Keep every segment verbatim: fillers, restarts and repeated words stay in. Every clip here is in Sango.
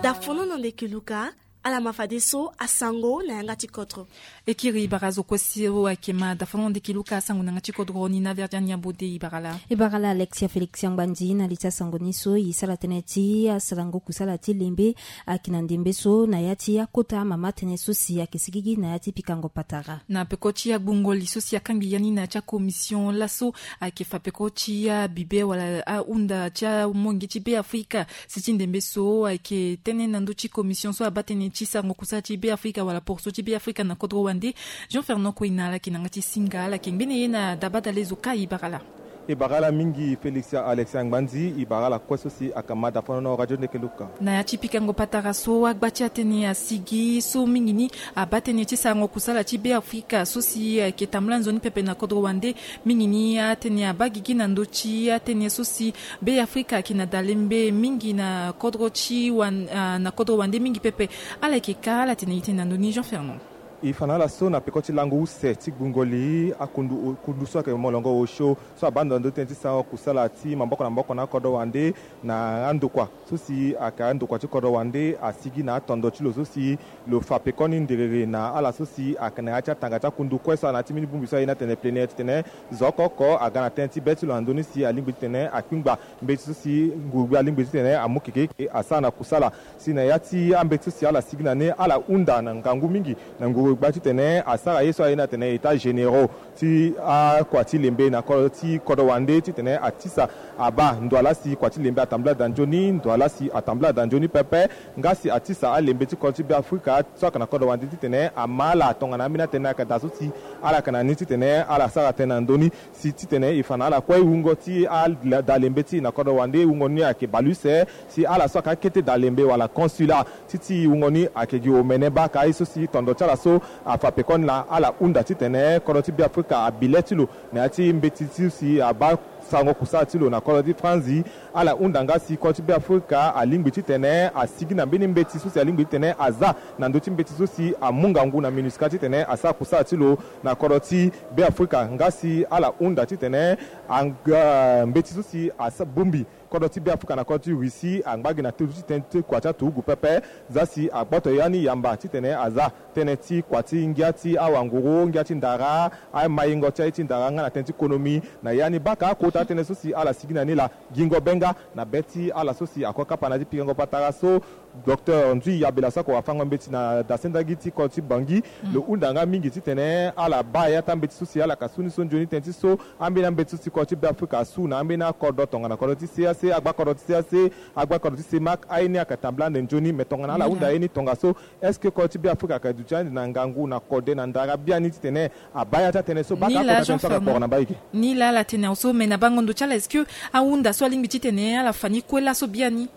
Dafono na ndeke luka. Ala ma fadeso asango na yanga ti kodro. E kiri bara zo kue so ayeke ma dafono na ndeke luka asango na yanga ti kodro ni na verdian nyambo de. E bara la, e bara la alexia félix angbandi na li ti asango ni so e sara tënë ti asarango kusala ti lembe. Ayeke na ndembe so na ya ti akota mama tënë so si ayeke sigigi na ya ti pikango patara. Na peko ti agbungo li so si akangbi ya ni na ya ti akomision laso ayeke fa peko ti abibe wala ahunda ti amonge ti be afrika. Si ti ndembe so ayeke tënë na ndö ti komision so abaa tënë ti sarango kusala ti be afrika wala porso ti be afrika na kodro wande. Jean fernand koina ala yeke na yanga ti singa ala yeke ngbene ye na dabadale zo kai bara la. E bara ala mingi félix alexia ngbandi e bara ala kue so si aka ma dafono na radio ndeke luka. Na ya ti pikango patara so agba ti atënë asigi so mingi ni abaa tënë ti sarango kusala ti be afrika so si ayeke tambula nzoni pepe na kodro wande. Mingi ni atënë abaa gigi na ndö ti atënë so si be afrika ayeke na dalembe mingi na kodro ti wan na kodro wande mingi pepe. Ala yeke ka ala tene itene na ndö ni jean fernand. E fa na ala so na peko ti lango use ti gbungo li akundu kundu so ayeke molongo osio so abaa ndo na ndö ti tënë ti sarango kusala ti maboko na maboko na akodro wande na andokua so si ayeke andokua ti kodro wande asigi na atondo ti lo so si lo fa pekoni nderere na ala so si ayeke na ya ti atanga ti akundu kue so ala na ya ti mbeni bongbi so aye ni atene plénière titene zo oko oko aga na tënë ti be ti lo na ndö ni si alingbi titene akpingba mbeti so si ngurugbi alingbi titene amu keke asara na kusala. Si na ya ti ambeti so si ala sigi na ni ala hunda na ngangu mingi na ngurugbi titene asara ye so aye ni atene état généraux ti akua ti lembe na kodro ti kodro wande titene atisa abaa ndo ala si kua ti lembe atambula daa nzoni ndo ala si atambula daa nzoni pepe. Nga si atisa alembe ti kodro ti be afrika so ayeke na kodro wande titene ama ala tongana ambeni atënë ayeke daa so si ala yeke na ni titene ala sara tënë na ndö ni. Si titene e fa na ala kue wungo ti ada lembe ti e na kodro wande wungo ni ayeke baleuse. Si ala so ayeke akete daa lembe wala consulat ti ti wungo ni ayeke gi omene baka aye so si tondo ti ala so afa pekoni laa ala hunda titene kodro ti be afrika abi le ti lo na ya ti mbeti ti si abaa sarango kusala ti lo na kodro ti franzi. Ala hunda nga si kodro ti be afrika alingbi titene asigi na mbeni mbeti so si alingbi titene aza na ndö ti mbeti so si amu ngangu na minusca titene asara kusala ti lo na kodro ti be afrika nga si ala hunda titene anga mbeti so si asa bongbi kodro ti be afrika na kodro ti russie angba gi na tënë ti tënë ti kua ti aturugu pepe. Za si agboto ya ni yamba titene aza tënë ti kua ti ngia ti awanguru ngia ti ndara amayengo ti aye ti ndara nga na tënë ti konomi na ya ni baka akota atënë so si ala sigi na ni laa. Gingo be nga na be ti ala so si ako kapa na ya ti pikango patara so docteur nzui yabela so ako afango mbeti na dasendagi ti kodro ti bangi. Lo hunda nga mingi titene ala baa ya ti ambeti so si ala yeke su ni so nzoni tënë ti so ambeni ambeti so si kodro ti be afrika asu na ambeni akodro tongana kodro ti cac agba kodro ti cac agba kodro ti semak aye ni ayeke tambula ande nzoni me tongana ala hunda ye ni tongaso est-ce que kodro ti be afrika ayeke duti ande na ngangu na kode na ndara biani titene abaa ya ti atënë so baka akota tënë so ayeke kporo na mbaiki. Ni laa ala tene awe so me na bango ndo ti ala est-ce que ahunda so alingbi titene ala fa ni kue laso biani?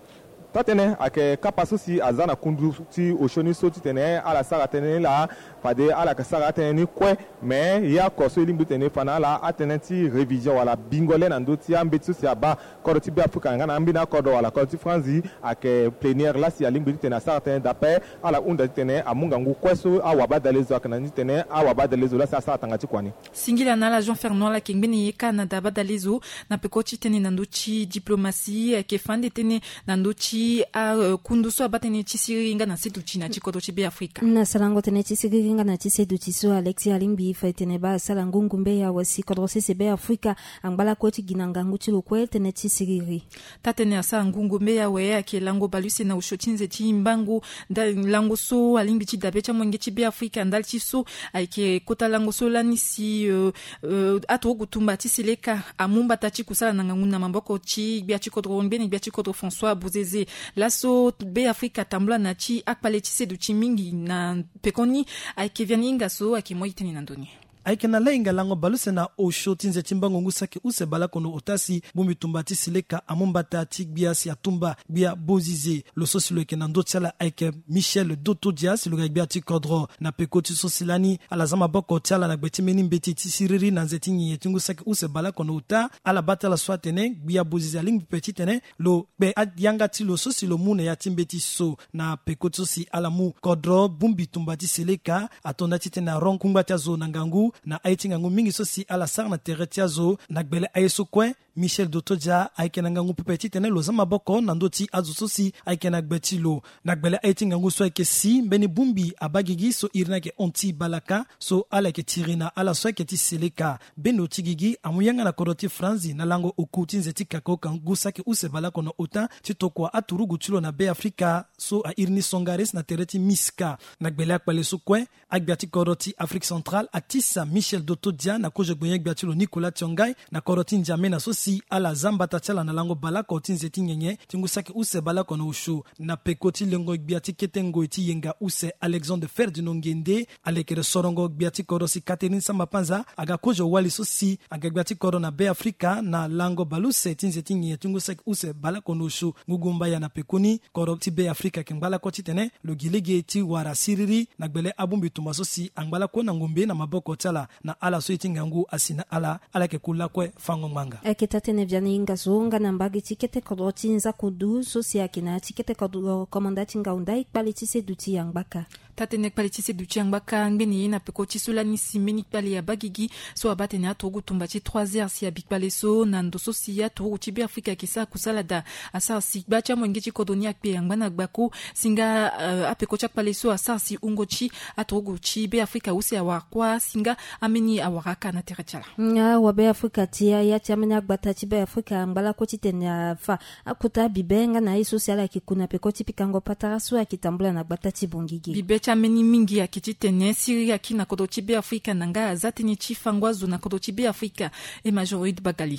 Taa-tënë ayeke kapa so si aza na kundu ti osio ni so titene ala sara tënë ni laa. Fade ala yeke sara atënë ni kue. Me ye oko so e lingbi titene e fa na ala atënë ti révision wala bingo le na ndö ti ambeti so si abaa kodro ti be afrika nga na ambeni akodro wala kodro ti franzi ayeke plénière laa si alingbi titene asara tënë daa ape. Ala hunda titene amu ngangu kue so awabadale zo ayeke na ni titene awabadale zo laa si asara tanga ti kua ni. Singila na ala jean fernand ala yeke ngbene ye kâ na dabadale zo na peko ti tënë na ndö ti diplomatie ayeke fa ande tënë na ndö ti akundu so abaa tënë ti siriri nga na seduti na ya ti kodro ti be afrika. Na sarango tënë ti siriri nga na ti seduti so alexia alingbi fa e tene baa asara ngungumbe ya wasi kodro sese be afrika angba lakue ti gi na ngangu ti lo kue tënë ti siriri. Taa-tënë asara ngungumbe ya we ayeke lango baleuse na osio ti nze ti mbango ndali lango so alingbi ti dabe ti amolenge ti be afrika ndali ti so ayeke kota lango so lani si aturugu tumba ti seleka amu mbata ti kusala na ngangu na maboko ti gbia ti kodro ngbene gbia ti kodro françois bozeze. Laso be afrika atambula na ya ti akpale ti seduti mingi na pekoni ayeke via ni hinga so ayeke moi tënë na ndoni. Ayeke na lahinga lango baleuse na osio ti nze ti mbango ngu saki use baleoko na ota si bongbi tumba ti seleka amu mbata ti gbia si atumba gbia bozize. Lo so si lo yeke na ndö ti ala ayeke michel dotodia si lo ga gbia ti kodro na peko ti so si lani ala za maboko ti ala na gbe ti mbeni mbeti ti siriri na nze ti nyenye ti ngu saki use baleoko na ota. Ala baa ti ala so atene gbia bozize alingbi pepe titene lo kpe ayanga ti lo so si lo mu na ya ti mbeti so na peko ti so si ala mu kodro bongbi tumba ti seleka ato nda titene aron kungba ti azo na ngangu na aye ti ngangu mingi so si ala sara na tere ti azo na gbele aye so kue. Michel Dotodia ayeke na ngangu pepe titene lo za maboko na ndö ti azo so si ayeke na gbe ti lo. Na gbele aye ti ngangu so ayeke si mbeni bongbi abaa gigi so iri ni ayeke Anti Balaka, so ala yeke tiri na ala so ayeke ti Seleka. Bendo ti gigi amu yanga na kodro ti Franzi na lango oku ti nze ti kakaoka ngu saki use baleoko na ota ti tokua aturugu ti lo na Beafrika so airi ni Songares na tere ti Miska. Na gbele akpale so kue, agbia ti kodro ti Afrique Centrale atisa Michel Dotodia na kozo gbenye-gbia ti lo Nicolas Tiongai na kodro ti N'Djamena so si ala za mbata ti ala na lango baleoko ti nze ti nyenye ti ngu saki use baleoko na osio. Na peko ti lengo gbia ti kete ngoi ti yenga use Alexandre Ferdinand Nguende, alekere sorongo gbia ti kodro si Catherine Samba Panza aga kozo wali so si aga gbia ti kodro na Beafrika na lango baleuse ti nze ti nyenye ti ngu saki use baleoko na osio. Ngu gumba ya na pekoni kodro ti Beafrika ayeke ngba lakue titene lo gi lege ti wara siriri na gbele abongbi tumba so si angba lakue na ngombe na maboko ti ala. Na ala so ye ti ngangu asi na ala, ala yeke ku lakue fango ngbanga. Ayeke taa-tënë Vianney Ngazo nga na mbage ti kete kodro ti Nzakudu so si ayeke na ya ti kete kodro komanda ti Ngaunda, e kpale ti seduti ya ngbaka. Taa-tënë kpale ti seduti ya ngbaka ngbene ye na peko ti so lani si mbeni kpale abaa gigi so abaa tene aturugu tumba ti trois heures si abi kpale so na ndo so si aturugu ti Beafrika ayeke sara kusala daa. Asara si gba ti amolenge ti kodro ni akpe angba na gbako si nga, eh, apeko ti akpale so asara si wungo ti aturugu ti Beafrika use awara kuâ si nga ambeni awara aka na tere ti ala. Nga wa Beafrika ti ya, ya ti ambeni agbata ti Beafrika angba lakue titene afa akota bibe nga na aye so si ala yeke ku na peko ti pikango patara so ayeke tambula na gbata ti Bangui ge. Bibe ti ambeni mingi ayeke titene siriri akiri na kodro ti Beafrika na nga aza tënë ti fango azo na kodro ti Beafrika. E Major Oid Bagali.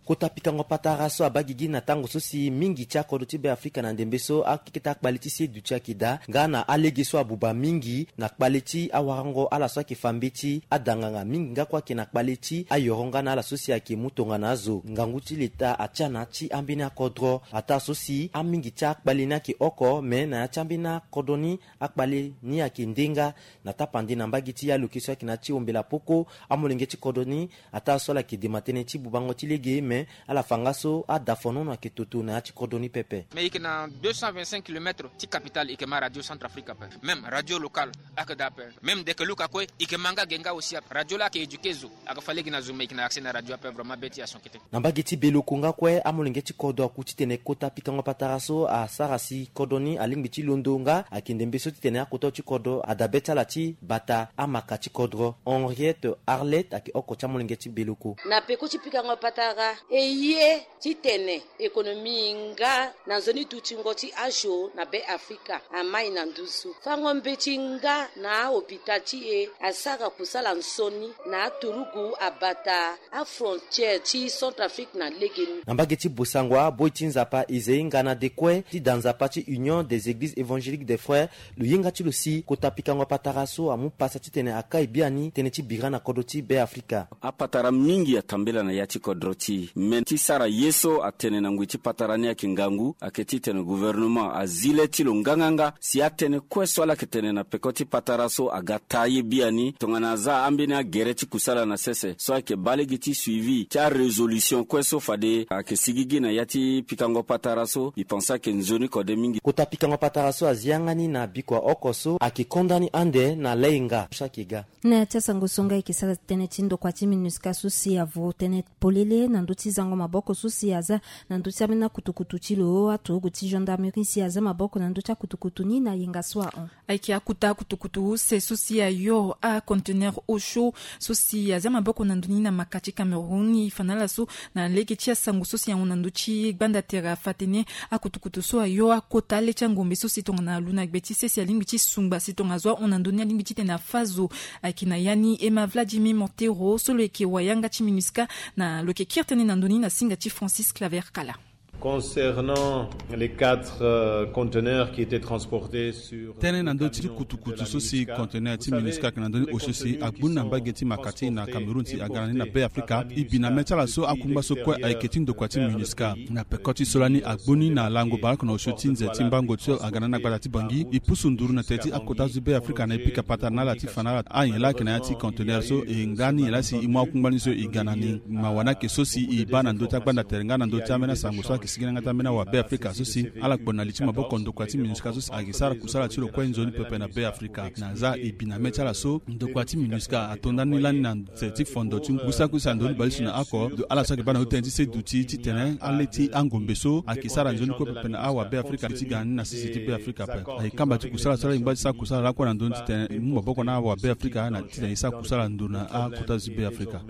Kota pikango patara so abaa gigi na tango so si mingi ti akodro ti Beafrika na ndembe so akeketa akpale ti seduti ayeke daa nga na alege so abuba mingi na kpale ti awarango ala so ayeke fa mbeti, adanganga mingi nga kue ayeke na kpale ti ayoro nga na ala so si ayeke mu tongana azo. Ngangu ti leta atia na ya ti ambeni akodro ataa so si amingi ti akpale ni ayeke oko, me na ya ti ambeni akodro ni akpale ni ayeke nde nga. Na tapande na mbage ti aloke so ayeke na ya ti ombela poko, amolenge ti kodro ni ataa so ala yeke dema tënë ti bubango ti lege, me ala fa nga so adafonono ayeke toto na ya ti kodro ni pepe. Mais e yeke na deux cent vingt-cinq kilomètres ti capitale, e yeke ma radio Centrafrique ape. Même radio locale ayeke daa ape. Même ndeke luka kue e yeke ma nga ge nga aussi ape. Radio laa ayeke éduquer zo, ayeke fa lege na zo, mais e yeke na accès na radio ape. Vraiment be ti ya so kete. Na mbage ti Beloko nga kue, amolenge ti kodro aku titene kota pikango patara so asara si kodro ni alingbi ti londo nga ayeke ndembe so titene akota ti kodro adabe ti ala ti bata amaka ti kodro. Henriette Arlette ayeke oko ti amolenge ti Beloko. Na peko ti pikango patara, e ye titene économie nga na nzoni dutingo ti azo na Beafrika amai na nduzu. Fango mbeti nga na ahôpital ti e asara kusala nsoni na aturugu abata afrontière ti Centrafrique na legeni. Na mbage ti Bossangoa, boi ti Nzapa Isaïe Ngana Dekue ti da nzapa ti Union des Églises Évangéliques des Frères, lo yenga ti lo si kota pikango patara so amu pasa titene akai biani tënë ti bira na kodro ti Beafrika. Apatara mingi atambela na ya ti kodro ti e, me ti sara ye so atene na ngoi ti patara ni ayeke ngangu, ayeke titene gouvernement azi le ti lo nganganga si atënë kue so ala yeke tene na peko ti patara so aga taa ye biani, tongana aza ambeni agere ti kusala na sese so ayeke baa lege ti suivi ti arésolution kue so fade ayeke sigigi na ya ti pikango patara so. E pense ayeke nzoni kode mingi. Kota pikango patara so azi yanga ni na bikua oko so ayeke konda ni ande na layenga so ayeke ga. Na ya ti asango so nga e yeke sara tënë ti ndokua ti MINUSCA so si avo tënë polele na ndö ti zango maboko so si aza na ndö ti ambeni akutukutu ti lo, aturugu ti gendarmerie si aza maboko na ndö ti akutukutu ni na yenga so ahon. Ayeke akota akutukutu use so si ayo aconteneur osio so si aza maboko na ndö ni na maka ti Cameroun. E fa na ala so na lege ti asango so si ahon na ndö ti gbanda tere afa tene akutukutu so ayo akota ale ti angombe so si tongana alu na gbe ti sese alingbi ti sungba si tongana azo ahon na ndö ni alingbi titene afa zo. Ayeke na ya ni e ma Vladimir Montero so lo yeke wayanga ti MINUSCA, na lo yeke kiri tënë na ndö ni na singa ti Francis Claver Kala. Concernant les quatre, euh, conteneurs qui étaient transportés sur, euh, tënë na ndö ti kutukutu so si conteneur ti MINUSCA ayeke na ndö ni osio si agboni na mbage ti maka ti e na Cameroun si aga na ni na Beafrika, e bi na mê ti ala so akungba so kue ayeke ti ndokua ti MINUSCA. Na peko ti so lani agboni na lango baleoko na osio ti nze ti mbango so aga na ni na gbata ti Bangui, e pusu nduru na tere ti akota azo ti Beafrika na e pika patara na ala ti fa na ala anyen laa ayeke na ya ti conteneur so, e nga ni nyen laa si e mu akungba ni so e ga na ni. Mawa ni ayeke so si e baa na ndö ti agbanda tere nga na ndö ti ambeni asango so ayeke Sigi na yanga ti ambeni awa Be Afrika so si ala kpo na li ti maboko ndokua ti MINUSCA so si ayeke sara kusala ti lo kue nzoni pepe na Be Afrika. Na za e bi na mê ti ala so ndokua ti MINUSCA ato ndani lani na nze ti fondo ti ngu saki use na ndoni baleuse na oko, ndo ala so ayeke baa na ndö ti tënë ti seduti titene alê ti angombe so ayeke sara nzoni kue pepe na awa Be Afrika ti ga ni na sese ti Be Afrika ape. Ayeke kamba ti kusala so ala yeke ngba ti sara kusala lakue na ndoni titene e mu maboko na awa Be Afrika na titene e sara kusala ndo na akota zo ti Be Afrika.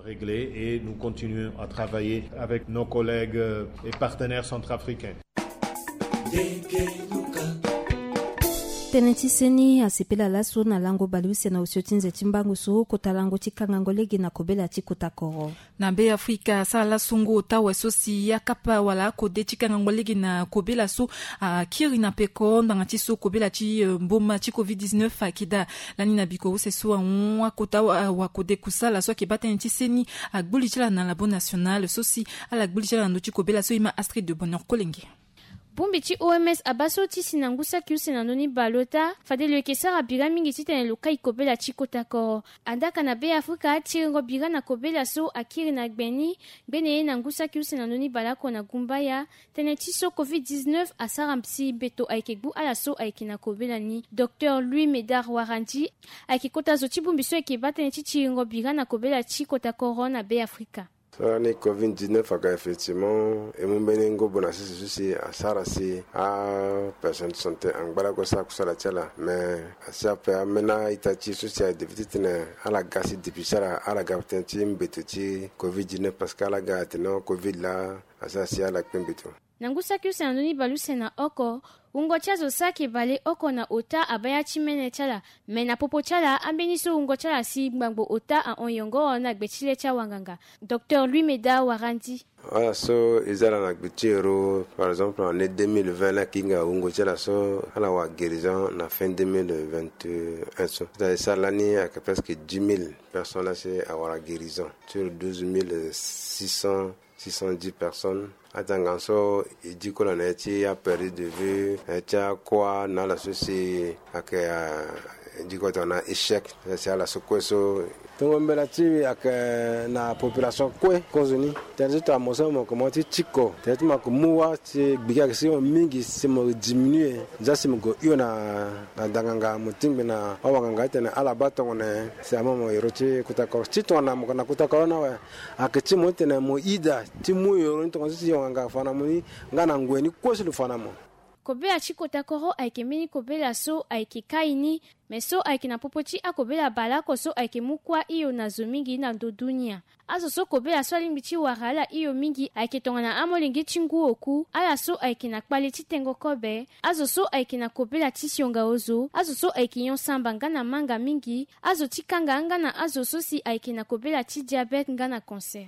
Réglé et nous continuons à travailler avec nos collègues, euh, et partenaires centrafricains. Tënë ti seni asepela laso na lango baleuse na osio ti nze ti mbango so kota lango ti kangango lege na kobela ti kota koro. Na Be Afrika asara laso ngu ota awe so si akapa wala akode ti kangango lege na kobela so akiri na peko ngbanga ti so kobela ti, eh, mboma ti covid dix-neuf ayeke daa. Lani na biko use so ahon akota wa, wakode kusala so ayeke baa tënë ti seni agbu li ti ala na labo national so si ala gbu li ti ala na ndö ti kobela so e ma Astrid de Bonheur Kolenge. Bongbi ti O M S abaa so ti si na ngu saki use na ndö ni baleota fade lo yeke sara bira mingi titene lo kai kobela ti kota koro. Andaka na Be Afrika tiringo bira na kobela so akiri na gbe ni, gbene ye na ngu saki use na ndö ni baleoko na gumbaya. Tënë ti so covid dix-neuf asara si mbeto ayeke gbu ala so ayeke na kobela ni. Docteur Louis Médard Warandi ayeke kota zo ti bongbi so ayeke baa tënë ti tiringo bira na kobela ti kota koro na Be Afrika. So lani covid dix-neuf aka effectivement e mu mbeni ngobo na sese so si asara si apersonne de santé angba lakue sara kusala ti ala. Mais asi ape ambeni a-ita ti e so si aye depuis titene ala ga si depuis ti ala ala ga tënë ti mbeto ti covid dix-neuf parce que ala ga atene covid laa asara si ala kpe mbeto. Na ngu saki use na ndö ni baleuse na oko, wungo ti azo saki baleoko na ota abaa ya ti mene ti ala. Me na popo ti ala ambeni so wungo ti ala si ngbangbo ota ahon yongoro na gbe ti le ti awanganga. Docteur Louis Médard Warandi. Wala so e za ala na gbe ti ero, par exemple, na année deux mille vingt laa, ayeke hinga wungo ti ala so ala wara guérison na fin deux mille vingt et un so. Sara lani ayeke presque dix mille personnes laa si awara guérison sur douze mille six cents, six cent dix personnes. Atanga so e diko na na ye ti aperdre de vue na ye ti akua na ala so si ayeke, ah, e diko tongana échec. Si ala so kue so tongo mbela ti e ayeke na population kue kozoni. Tënë ti tongana mo so mo yeke mo ti tiko tënë ti mo yeke mu wâ ti gbigi ayeke si mo mingi si mo diminuer. Nzia si mo gue hio na, na danganga mo tingbi na awanganga titene ala baa tongana nyen si ama mo ero ti kota koro ti tongana mo yeke na kota koro ni awe. Ayeke ti mo titene mo ida ti mu yoro ni tongana so si yonganga fa na mo ni nga na ngoi ni kue so lo fa na mo. Kobela ti kota koro ayeke mbeni kobela so ayeke kai ni, me so ayeke na popo ti akobela baleoko so ayeke mu kuâ hio na zo mingi na ndo dunia. Azo so kobela so alingbi ti wara ala hio mingi ayeke tongana amolenge ti ngu oku, ala so ayeke na kpale ti tengo kobe, azo so ayeke na kobela ti sionga ozo, azo so ayeke nyon samba nga na manga mingi, azo ti kanga nga na azo so si ayeke na kobela ti diabète nga na cancer.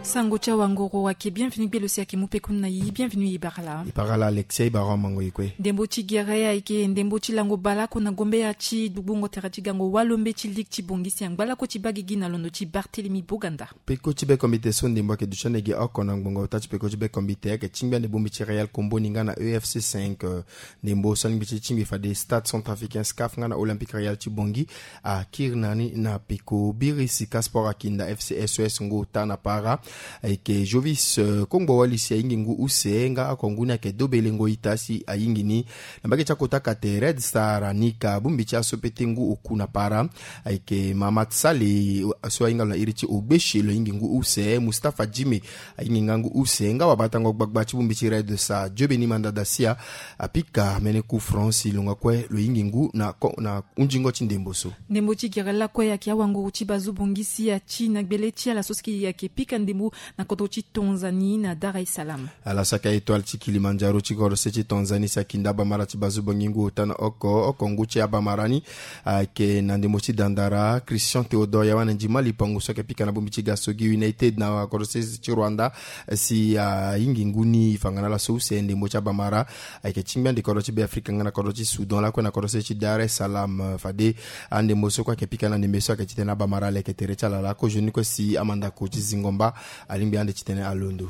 Sango ti awangoro ayeke bienvenu gbelo si ayeke mu pekoni na e, bienvenu e bara laa. E bara laa Alexia, e bara amango e kue. Ndembo ti gere ayeke ndembo ti lango baleoko na gombeya ti gbugbungo tere ti gango walombe ti ligue ti Bangui si angba lakue ti baa gigi na londo ti Barthélemy Boganda. Peko ti bekombite so ndembo ayeke duti ande gi oko na ngbongo ota ti peko ti bekombite ayeke tingbi ande bongbi ti Real Kombo ni nga na E F C cinq, eh, ndembo so alingbi ti tingbi fade Stade Centrafricain, SCAF nga na Olympique Real ti Bangui akiri na ni na peko. Biri Sika Sport akinda F C S O S ngu ota na para. Ayeke Jovis, eh, kongbo wali si ayingi ngu use nga oko ngu ni ayeke Dobelengo Ita si ayingi ni. Na mbage ti akota kate Red Star ni ka bongbi ti aso pete ngu oku na para. Ayeke Mahamat Sale so ahinga lo na iri ti Ogbeshe lo yingi ngu use. Mustapha Jime ayingi nga ngu use nga wabatango gbagba ti bongbi ti Red Star Diobeni Mandada Sia apika mbeni coup franc si lo nga kue lo yingi ngu na ko, na hunzingo ti ndembo so. Ndembo ti gere lakue ayeke awanguru ti bazo bongisi ati na gbele ti ala so si ayeke pika ndembo na kodro ti Tanzanie na Dar es Salaam. Ala saka Etoile ti Kilimanjaro ti kodro se ti Tanzanie si akinda abamara ti bazo bongi ngu ota na oko, oko ngu ti abamara ni ayeke na ndembo ti dandara Christian Théodore Yawane Ndimali Pangu so ayeke pika na bongbi ti Gasogi United na kodro se ti Rwanda si ayingi ngu ni fangana laso use. Ndembo ti abamara ayeke tingbi ande kodro ti Beafrika nga na kodro ti Soudan lakue na kodro se ti Dar es Salaam. Fade andembo so kue ayeke pika na ndembe so ayeke titene abamara aleke tere ti ala laa kozoni kue si amandako ti zingo mba alingbi ande titene alondo.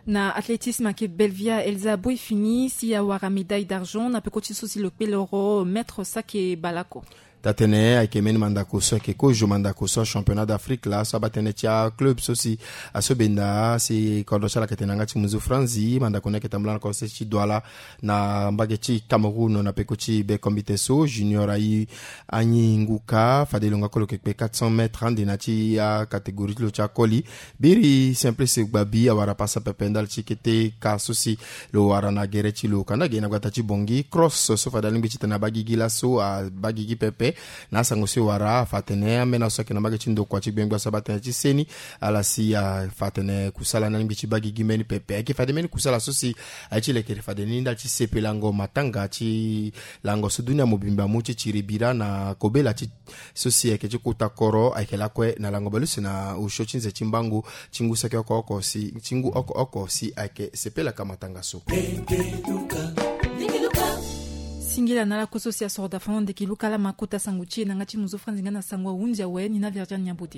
Na athlétisme ayeke Belvia Elsa Boifini si awara médaille d'argent na peko ti so si lo kpe loro mètre sake baleoko. Tatene ayeke mbeni mandako so ayeke kozo mandako so a championnat d'afrique laso abaa tënë ti aclub so si aso benda si kodro ti ala ayeke tene na yanga ti muzu franzi mandako ni ayeke tambula na kodro ti douala na mbage ti cameroun na peko ti be kombite so junior ayi anyi nguka fade lo nga kolo yeke kpe quatre cents mètres ande na ti acatégorie ti lo ti akoli. Biri simplice gbabi awara pasa pepe ndali ti kete ka so si lo wara na gere ti lo kanda ge na gbata ti bongi cross so fade alingbi ti tene abaa gigi laso abaa gigi pepe. Na asango so e wara afa atene ambeni aso ayeke na mbage ti ndokua ti gbengba so abaa tënë ti seni ala si afa atene kusala ni alingbi ti baa gigi mbeni pepe ayeke fade mbeni kusala so si aye ti lekere fade ni ndali ti sepe lango matanga ti lango so dunia mobimba amu ti tiri bira na kobela ti so si ayeke ti kota koro ayeke lakue na lango baleuse na osio ti nze ti mbangu ti ngu saki oko oko si ti ngu oko oko si ayeke sepelaka matanga so. Singila na ala kue so si asoro dafano ndeki luka ala ma kota sango ti e na yanga ti muzu franzi nga na sango ahunzi awe ni na virgin nyambote.